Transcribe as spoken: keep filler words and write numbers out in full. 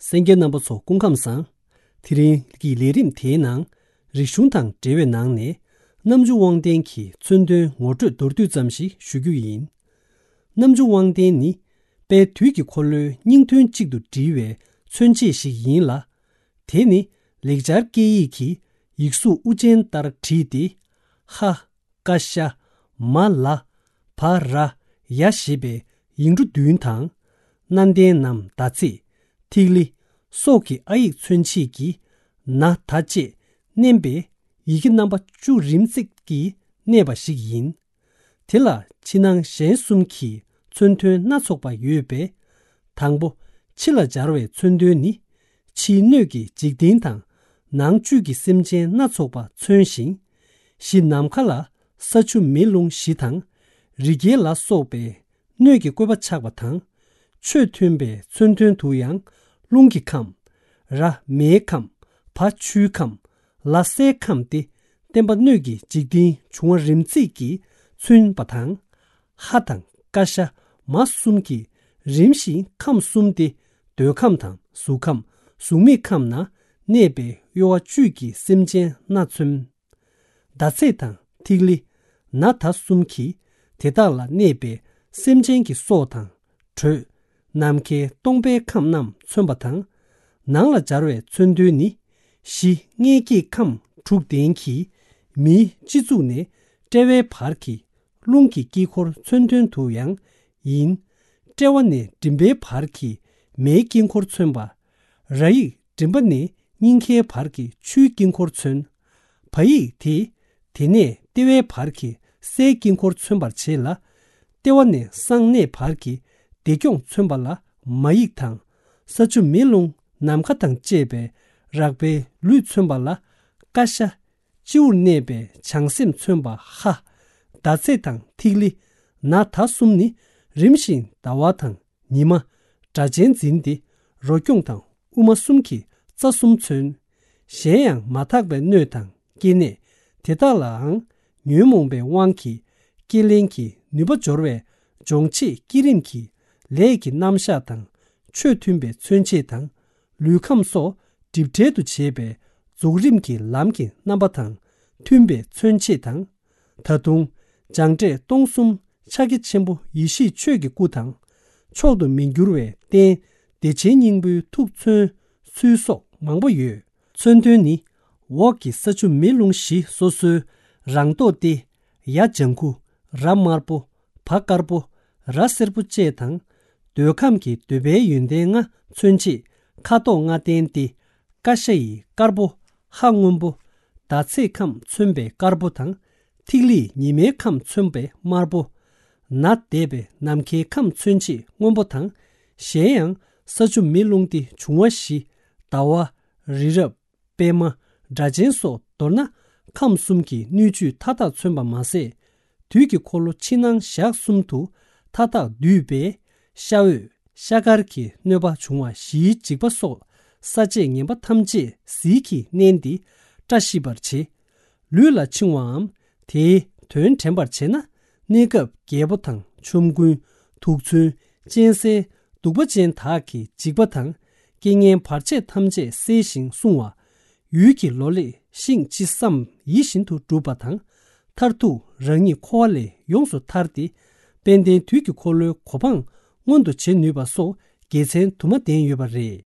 གསན་མཁན་རྣམ་པ་ཚོ་སྐུ་ཁམས་བཟང་། དེ་རིང་གི་ལས་རིམ་དེའི་ནང་། རིག་གཞུང་དང་འབྲེལ་བའི་ནང་ནས། རྣམ་བཅུ་དབང་ལྡན་གྱི་མཚོན་དོན་ངོ་སྤྲོད་མདོར་བསྡུས་ཙམ་ཞིག་ཞུ་རྒྱུ་ཡིན། རྣམ་བཅུ་དབང་ལྡན་ནི། དཔལ་དུས་ཀྱི་འཁོར་ལོའི་སྙིང་དོན་གཅིག་ཏུ་འདྲིལ་བའི་མཚོན་བྱེད་ཞིག་ཡིན་ལ། དེ་ནི་ལེགས་སྦྱར་སྐད་ཡིག་གི་ཡིག་གཟུགས་དབུ་ཅན་ལྟར་བྲིས་ཏེ། ཧ། ཀ་ཤ། མ་ལ། བ་ར། ཡ་ཞེས་པའི་ཡིག་འབྲུ་བདུན་དང་། སྣ་ལྡན་ནམ་ཟླ་ཚེས། ཐིག་ལེ། སོགས་ཀྱི་ཨ་ཡིག་མཚོན་བྱེད་ཀྱི་ན་ད་བཅས་བསྣན་པའི་ཡི་གེ་རྣམ་པ་བཅུ་རིམ་བརྩེགས་ཀྱིས་གནས་པ་ཞིག་ཡིན། དེ་ལ་ཕྱི་ནང་གཞན་གསུམ་གྱི་མཚོན་དོན་སྣ་ཚོགས་པ་ཡོད་པས། དང་པོ། ཕྱི་ལ་སྦྱར་བའི་མཚོན་དོན་ནི། ཕྱིའི་སྣོད་ཀྱི་འཇིག་རྟེན་དང་། ནང་བཅུད་ཀྱི་སེམས་ཅན་སྣ་ཚོགས་པ་མཚོན་ཞིང་། གཞི་ནམ་མཁའ་ལ་ས་ཆུ་མེ་རླུང་བཞི་དང་། རི་རྒྱལ་ལ་སོགས་པའི་སྣོད་ཀྱི་བཀོད་པ་ཆགས་པ་དང་། ཆོས་མཐུན་པའི་མཚོན་དོན་དུ་ཡང་རླུང་གི་ཁམས། ར་མེའི་ཁམས། བ་ཆུའི་ཁམས། ལ་སའི་ཁམས་ཏེ། བརྟེན་པ་སྣོད་ཀྱི་འཇིག་རྟེན་འབྱུང་བ་རིམ་བརྩེགས་ཀྱིས་མཚོན་པ་དང་། ཧ་དང་ཀ་ཤ་མ་གསུམ་གྱིས་རིམ་བཞིན་ཁམས་གསུམ་སྟེ། འདོད་ཁམས་དང་གཟུགས་ཁམས་གཟུགས་མེད་ཁམས་ན་གནས་པའི་གཡོ་བ་བཅུད་ཀྱི་སེམས་ཅན་སྣ་མཚོན། ཟླ་ཚེས་དང་ཐིག་ལེ། ན་ད་གསུམ་གྱིས་དེ་དག་ལ་གནས་པའི་སེམས་ཅན་གྱི་སྲོག་དང་། དྲོད། ནམ་མཁའི་སྟོང་པའི་ཁམས་རྣམས་མཚོན་པ་དང་། ནང་ལ་སྦྱར་བའི་མཚོན་དོན་ནི། གཞི་མངལ་སྐྱེས་ཁམས་དྲུག་ལྡན་གྱི་མིའི་སྤྱི་གཙུག་ནས་དཔྲལ་བའི་བར་གྱི་རླུང་གི་དཀྱིལ་འཁོར་མཚོན་དོན་དུ་ཡང་ཡིན། དཔྲལ་བ་ནས་མགྲིན་པའི་བར་གྱི་མེའི་དཀྱིལ་འཁོར་མཚོན་པ། ར་ཡིག་མགྲིན་པ་ནས་སྙིང་གའི་བར་གྱི་ཆུའི་དཀྱིལ་འཁོར་མཚོན། བ་ཡིག་དེས་དེ་ནས་ལྟེ་བའི་བར་གྱི་སའི་དཀྱིལ་འཁོར་མཚོན་པར་བྱེད་ལ། ལྟེ་བ་ནས་གསང་གནས་བར་གྱི་བདེ་སྐྱོང་མཚོན་པ་ལ་མ་ཡིག་དང་། ས་ཆུ་མེ་རླུང་ནམ་མཁའ་དང་བཅས་པའི་རགས་པའི་ལུས་མཚོན་པ་ལ་ཀ་ཤ། སྤྱི་བོར་གནས་པའི་བྱང་སེམས་མཚོན་པ་ཧ། ཟླ་ཚེས་དང་ཐིག་ལེ། ན་ད་གསུམ་ནི་རིམ་བཞིན་ཟླ་བ་དང་ཉི་མ། སྒྲ་གཅན་འཛིན་ཏེ། རོ་སྐྱོང་དང་དབུ་མ་གསུམ་གྱི་རྩ་གསུམ་མཚོན། གཞན་ཡང་མ་དག་པའི་སྣོད་དང་སྐྱེ་གནས་དེ་དག་ལའང་ཉོན་མོངས་པའི་དབང་གིས་སྐྱེ་ལེན་གྱི་ནུས་པ་འབྱོར་བས་སྦྱོང་བྱེད་བསྐྱེད་རིམ་གྱི་ལས་ཀྱི་རྣམ་གཞག་དང་། ཆོས་མཐུན་པའི་མཚོན་བྱེད་དང་། ལུས་ཁམས་སོགས་སྒྲིབ་བྲལ་དུ་བྱེད་པའི་རྫོགས་རིམ་གྱི་ལམ་གྱི་རྣམ་པ་དང་མཐུན་པའི་མཚོན་བྱེད་དང་། ད་དུང་སྦྱངས་འབྲས་སྟོང་གསུམ་ཕྱག་རྒྱ་ཆེན་པོ་ཡེ་ཤེས་ཆོས་ཀྱི་སྐུ་དང་། མཆོག་ཏུ་མི་འགྱུར་བའི་རྟེན་བདེ་ཆེན་སྙིང་པོའི་ཐུགས་མཚོན་ཚུལ་སོགས་མང་པོ་ཡོད། མཚོན་དོན་ནི། འོག་གི་ས་ཆུ་མེ་རླུང་བཞི་སོ་སོའི་རང་མདོག་སྟེ། ཡ་ལྗང་ཁུ། ར་དམར་པོ། བ་དཀར་པོ། ར་སེར་པོ་བཅས་དང་། འདོད་ཁམས་ཀྱི་འདོད་པའི་ཡོན་ཏན་ལྔ་མཚོན་བྱེད་ཁ་དོག་ལྔ་ལྡན་ཏེ། ཀ་ཤ་ཡི་དཀར་པོ་ཧ་སྔོན་པོ། ཟླ་ཚེས་ཁམས་མཚོན་པའི་དཀར་པོ་དང་། ཐིག་ལེ་ཉི་མའི་ཁམས་མཚོན་པའི་དམར་པོ། ནད་འདས་པའི་ནམ་མཁའི་ཁམས་མཚོན་བྱེད་སྔོན་པོ་དང་། གཞན་ཡང་ས་ཆུ་མེ་རླུང་སྟེ་འབྱུང་བ་བཞི། ཟླ་བ། རི་རབ། པད་མ། སྒྲ་གཅན་སོགས་མདོར་ན་ཁམས་གསུམ་གྱི་སྣོད་བཅུད་མཐའ་དག་མཚོན་པ་མ་ཟད། དུས་ཀྱི་འཁོར་ལོ་ཕྱི་ནང་ཞག་གསུམ་དུ་མཐའ་དག་འདུས་པས། ཤ་འོད། ཤ་དཀར་གྱི་གནོད་པ་འབྱུང་བ་བཞིའི་འཇིགས་པ་སོགས་ས་བཅད་ངན་པ་ཐམས་ཅད་ཟིལ་གྱིས་མནན་ཏེ་བཀྲ་ཤིས་པར་བྱེད། ལུས་ལ་འཆིང་བའམ་དེའི་དོན་དྲན་པར་བྱེད་ན། གནས་སྐབས་རྒྱལ་པོ་དང་ཆོམ་རྐུན། དུག་མཚོན། གཅན་གཟན། གདུག་པ་ཅན་དག་གི་འཇིགས་པ་དང་། རྐྱེན་ངན་བར་ཆད་ཐམས་ཅད་སེལ་ཞིང་བསྲུང་བ། ཡུལ་གྱི་ལོ་ལེགས་ཤིང་ཅི་བསམ་ཡིད་བཞིན་དུ་འགྲུབ་པ་དང་། མཐར་ཐུག་རང་ཉིད་འཁོར་བ་ལས་ཡོངས་སུ་ཐར་ཏེ། དཔལ་ལྡན་དུས་ཀྱི་འཁོར་ལོའི་གོ་འཕང་མངོན་དུ་བྱེད་ནུས་པ་སོགས་དགེ་མཚན་དུ་མ་ལྡན་ཡོད་པ་རེད།